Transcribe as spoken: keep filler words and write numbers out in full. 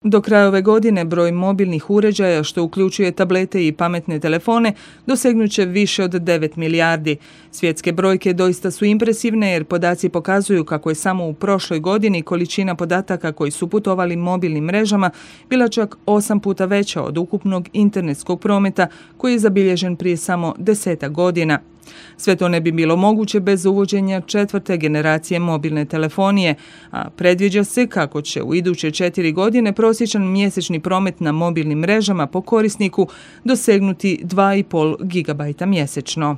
Do kraja ove godine broj mobilnih uređaja, što uključuje tablete i pametne telefone, dosegnut će više od devet milijardi. Svjetske brojke doista su impresivne jer podaci pokazuju kako je samo u prošloj godini količina podataka koji su putovali mobilnim mrežama bila čak osam puta veća od ukupnog internetskog prometa koji je zabilježen prije samo desetak godina. Sve to ne bi bilo moguće bez uvođenja četvrte generacije mobilne telefonije, a predviđa se kako će u iduće četiri godine prosječan mjesečni promet na mobilnim mrežama po korisniku dosegnuti dva i pol gigabajta mjesečno.